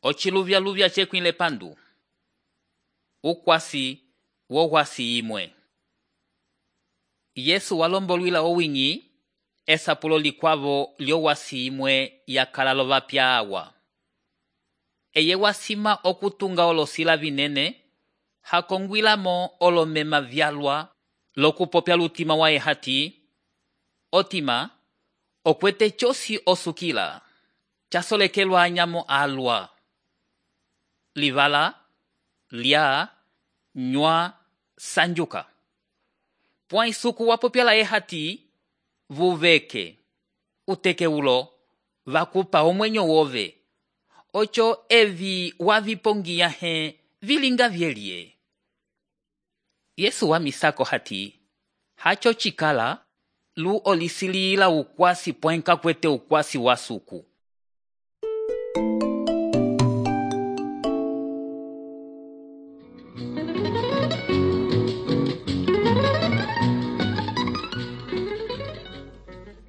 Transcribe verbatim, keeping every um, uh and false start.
Ociluvyaluvya cekwile pandu. Ukwasi wohwasi imwe. Yesu walombolwila owinyi esapulo likwavo lyowasi imwe yakalalo vapya awa. Eye wasima okutunga olosila vinene, hakongwilamo olomema vyalwa lokupopya lutima wa ehati, otima, okwete chosi osukila, chasolekelwa anyamo alwa. Livala, lia, nywa, sanjuka. Pwa isuku wapopya la ehati, vuveke, uteke ulo, vakupa omwenyo wove. Ocho evi wavipongia he vilinga vielie. Yesu wa misako hati, hacho chikala, lu olisilila ukwasi pwenka kwete ukwasi wasuku.